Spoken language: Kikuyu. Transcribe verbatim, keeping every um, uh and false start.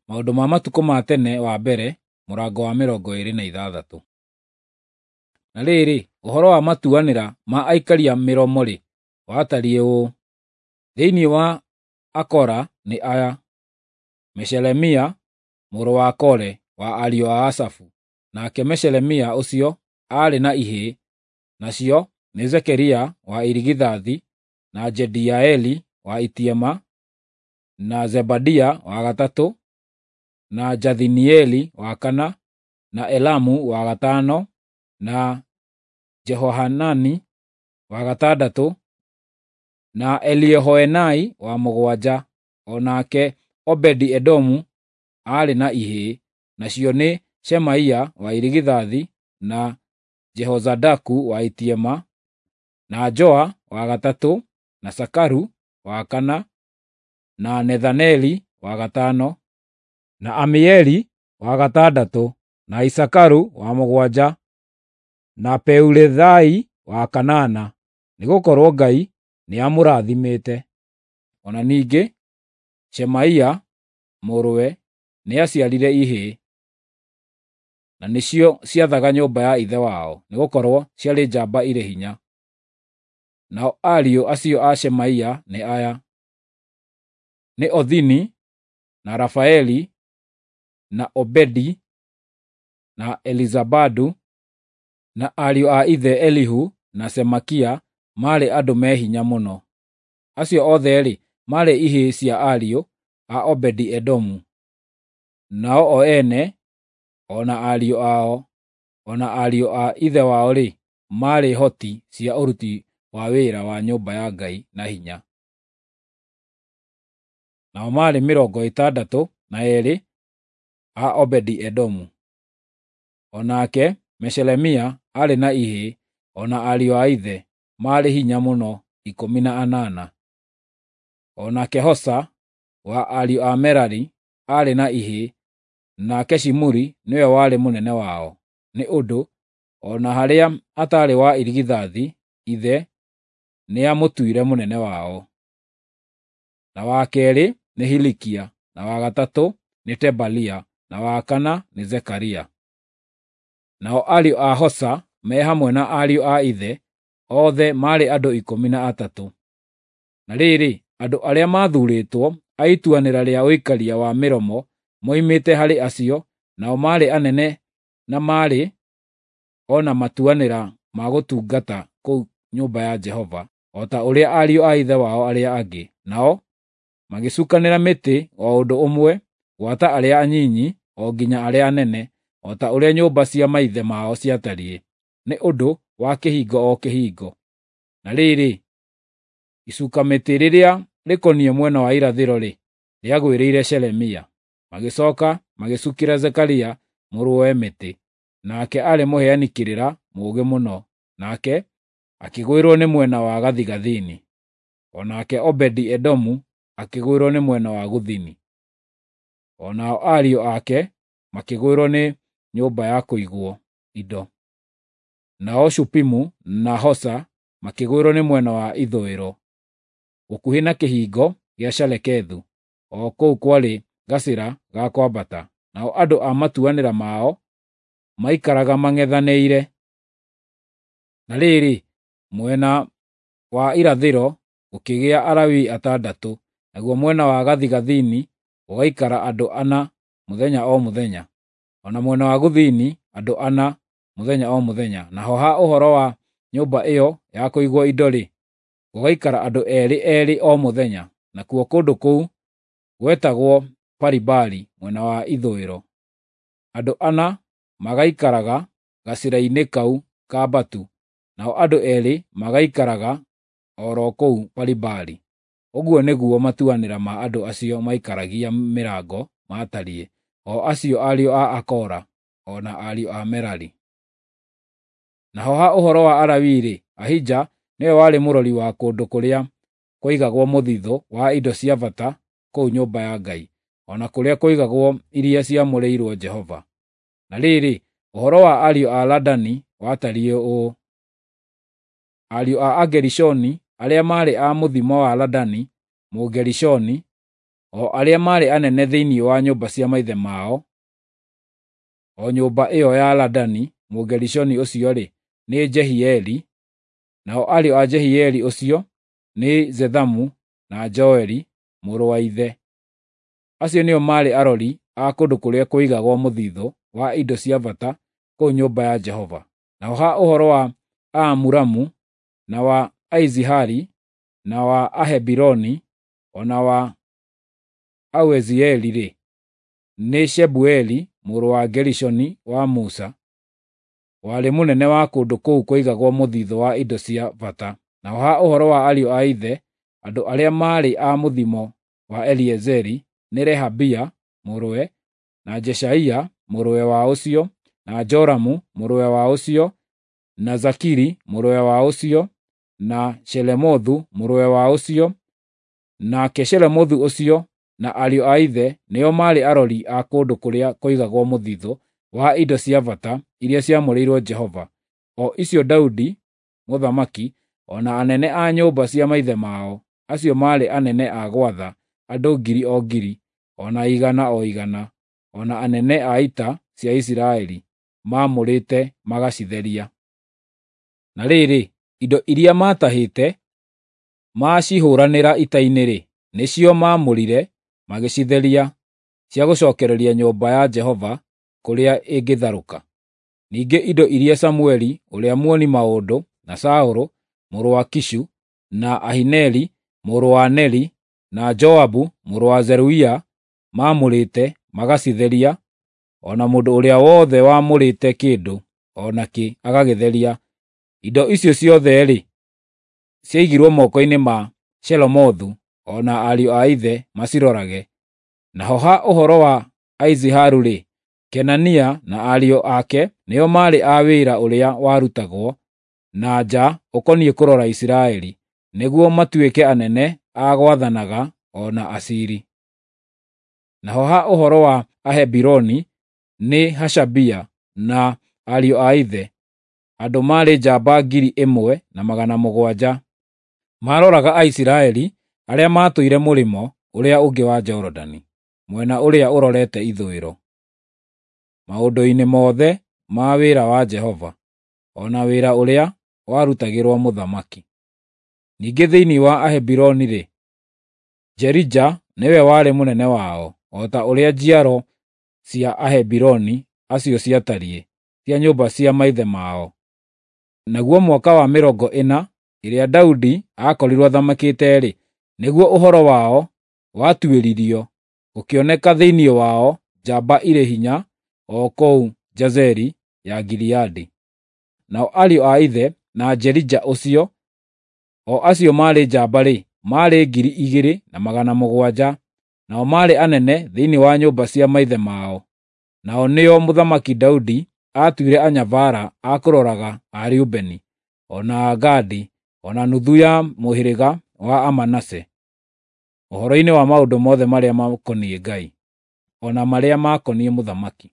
Maũndũ ma Matukũ ma Tene wa mbere mũrango wa mĩrongo ĩĩrĩ na ithathatũ. Na rĩrĩ, ũhoro wa matuanĩra ma aikaria mĩromo-rĩ, watariĩ ũũ: Thĩinĩ wa Akora nĩ aya: Meshelemia mũrũ wa Kore wa ariũ a Asafu. Nake Meshelemia ũcio aarĩ na ihĩĩ, nacio nĩ Zekaria wa irigithathi, na Jediaeli wa itiema, na Zebadia wa gatatũ, na Jathinieli wa kana, na Elamu wa gatano, na Jehohanani wa gatandatũ, na Eliehoenai wa mũgwanja. O nake Obedi-Edomu aarĩ na ihĩĩ, nacio nĩ Shemaia wa irigithathi, na Jehozadaku wa itiema, na Joa wa gatatũ, na Sakaru wa kana, na Nethaneli wa gatano, na Amieli wa gatandatũ, na Isakaru wa mũgwanja, na Peulethai wa kanana, nĩgũkorwo Ngai nĩamũrathimĩte. O na ningĩ Shemaia mũrũwe nĩaciarire ihĩĩ, na nĩcio ciathaga nyũmba ya ithe wao, nĩgũkorwo ciarĩ njamba irĩ hinya. Nao ariũ acio a Shemaia nĩ aya: nĩ Othini, na Rafaeli, na Obedi, na Elizabadu, na ariũ a ithe Elihu na Semakia maarĩ andũ me hinya mũno. Acio othe-rĩ, maarĩ ihĩĩ cia ariũ a Obedi-Edomu. Nao o ene, o na ariũ ao, o na ariũ a ithe wao-rĩ, maarĩ hoti cia ũruti wa wĩra wa nyũmba ya Ngai na hinya. Nao maarĩ mĩrongo ĩtandatũ na eerĩ a Obedi-Edomu. O nake Meshelemia aarĩ na ihĩĩ, o na ariũ a ithe, maarĩ hinya mũno ikũmi na anana. O nake Hosa wa ariũ a Merari aarĩ na ihĩĩ, nake Shimuri nĩwe warĩ mũnene wao, nĩ ũndũ o na harĩa ataarĩ wa irigithathi, ithe nĩamũtuire mũnene wao. Na wa keerĩ nĩ Hilikia, na wa gatatũ nĩ Tebalia, na wa kana nĩ Zekaria. Nao ariũ a Hosa me hamwe na ariũ a ithe othe maarĩ andũ ikũmi na atatũ. Na rĩrĩ, andũ arĩa maathuurĩtwo a ituanĩra rĩa ũikaria wa mĩromo moimĩte harĩ acio, nao maarĩ anene na maarĩ o na matuanĩra ma gũtungata kũu nyũmba ya Jehova, o ta ũrĩa ariũ a ithe wao arĩa angĩ. Nao magĩcukanĩra mĩtĩ o ũndũ ũmwe, gwata arĩa anyinyi o nginya arĩa anene, o ta ũrĩa nyũmba cia maithe mao ciatariĩ, nĩ ũndũ wa kĩhingo o kĩhingo. Na rĩrĩ, icuka-mĩtĩ rĩrĩa rĩkoniĩ mwena wa irathĩro-rĩ, rĩagwĩrĩire Shelemia. Magĩcooka magĩcukĩra Zekaria mũrũwe mĩtĩ, nake aarĩ mũheani kĩrĩra mũũgĩ mũno, nake akĩgwĩrwo nĩ mwena wa gathigathini. O nake Obedi-Edomu akĩgwĩrwo nĩ mwena wa gũthini. O nao ariũ ake makĩgwĩrwo nĩ nyũmba ya kũigwo indo. Nao Shupimu na Hosa makĩgwĩrwo nĩ mwena wa ithũĩro, gũkuhĩ na kĩhingo gĩa Shalekethu, o kũu kwarĩ gacĩra ga kwambata. Nao andũ a matuanĩra mao maikaraga mang'ethanĩire. Na rĩrĩ, mwena wa irathĩro gũkĩgĩa Alawii atandatũ, naguo mwena wa gathigathini gũgaikara andũ ana mũthenya o mũthenya, o na mwena wa gũthini andũ ana mũthenya o mũthenya. Naho ha ũhoro wa nyũmba ĩyo ya kũigwo indo-rĩ, gũgaikara andũ eerĩ eerĩ o mũthenya. Nakuo kũndũ kũu gwetagwo Paribari mwena wa ithũĩro. Andũ ana magaikaraga gacĩra-inĩ kau kambatu, nao andũ eerĩ magaikaraga o ro kũu Paribari. Ũguo nĩguo matuanĩra ma andũ acio maikaragia mĩrango maatariĩ, o acio ariũ a Akora, o na ariũ a Merari. Naho ha ũhoro wa Alawii-rĩ, Ahija nĩwe warĩ mũrori wa kũndũ kũrĩa kwaigagwo mũthithũ wa indo cia bata kũu nyũmba ya Ngai, o na kũrĩa kwaigagwo iria ciamũrĩirwo Jehova. Na rĩrĩ, ũhoro wa ariũ a Ladani watariĩ ũũ: Ariũ a Agerishoni arĩa maarĩ a mũthimo wa Ladani Mũgerishoni, o arĩa maarĩ anene thĩinĩ wa nyũmba cia maithe mao, o nyũmba ĩo ya Ladani Mũgerishoni ũcio-rĩ, nĩ Jehieli, nao ariũ a Jehieli ũcio nĩ Zethamu na Joeli, mũrũ wa ithe. Acio nĩo maarĩ arori a kũndũ kũrĩa kũigagwo mũthithũ wa indo cia bata kũu nyũmba ya Jehova. Naho ha ũhoro wa Aamuramu, na wa Aizihari, na wa Ahebironi, o na wa Auzieli-rĩ, nĩ Shebueli mũrũ wa Gerishoni wa Musa, warĩ mũnene wa kũndũ kũu kũigagwo mũthithũ wa indo cia bata. Naho ha ũhoro wa ariũ a ithe, andũ arĩa maarĩ a mũthimo wa Eliezeri, nĩ Rehabia mũrũwe, na Jeshaia mũrũwe wa ũcio, na Joramu mũrũwe wa ũcio, na Zakiri mũrũwe wa ũcio, na Shelemothu mũrũwe wa ũcio. Nake Shelemothu ũcio na ariũ a ithe nĩo maarĩ arori a kũndũ kũrĩa kũigagwo mũthithũ wa indo cia bata iria ciamũrĩirwo Jehova, o icio Daudi mũthamaki, o na anene a nyũmba cia maithe mao, acio maarĩ anene a gwatha andũ ngiri o ngiri, o na igana o igana, o na anene a ita cia Isiraeli, maamũrĩte magacitheria. Na rĩrĩ, indo iria maatahĩte maacihũranĩra ita-inĩ-rĩ, nĩcio maamũrire magĩcitheria cia gũcokereria nyũmba ya Jehova kũrĩa ĩngĩtharũka. Ningĩ indo iria Samueli ũrĩa muoni maũndũ, na Saũlũ mũrũ wa Kishu, na Ahineri mũrũ wa Neri, na Joabu mũrũ wa Zeruia maamũrĩte magacitheria, o na mũndũ ũrĩa wothe waamũrĩte kĩndũ o nakĩ agagĩtheria, indo icio ciothe-rĩ, ciaigirwo moko-inĩ ma Shelomothu o na ariũ a ithe macirorage. Naho ha ũhoro wa Aiziharu-rĩ, Kenania na ariũ ake nĩo maarĩ a wĩra ũrĩa warutagwo na nja ũkoniĩ kũrora Isiraeli, nĩguo matuĩke anene a gwathanaga o na aciiri. Naho ha ũhoro wa Ahebironi, nĩ Hashabia na ariũ a ithe, andũ maarĩ njamba ngiri ĩmwe na magana mũgwanja. Maaroraga Aisiraeli arĩa maatũire mũrĩmo ũrĩa ũngĩ wa Jorodani, mwena ũrĩa ũrorete ithũĩro, maũndũ-inĩ mothe ma wĩra wa Jehova, o na wĩra ũrĩa warutagĩrwo mũthamaki. Ningĩ thĩinĩ wa Ahebironi-rĩ, Jerija nĩwe warĩ mũnene wao, o ta ũrĩa njiaro cia Ahebironi acio ciatariĩ, cia nyũmba cia maithe mao. Naguo mwaka wa mĩrongo ĩna ĩrĩa Daudi aakorirwo athamakĩte-rĩ, nĩguo ũhoro wao watuĩririo, gũkĩoneka thĩinĩ wao njamba irĩ hinya o kũu Jazeri ya Gileadi. Nao ariũ a ithe na Jerija ũcio, o acio maarĩ njamba-rĩ, maarĩ ngiri igĩrĩ na magana mũgwanja, nao maarĩ anene thĩinĩ wa nyũmba cia maithe mao. Nao nĩo Mũthamaki Daudi aatuire anyabara a kũroraga a Rubeni, o na a Gadi, o na nuthu ya mũhĩrĩga wa Amanase, ũhoro-inĩ wa maũndũ mothe marĩa makoniĩ Ngai, o na marĩa makoniĩ mũthamaki.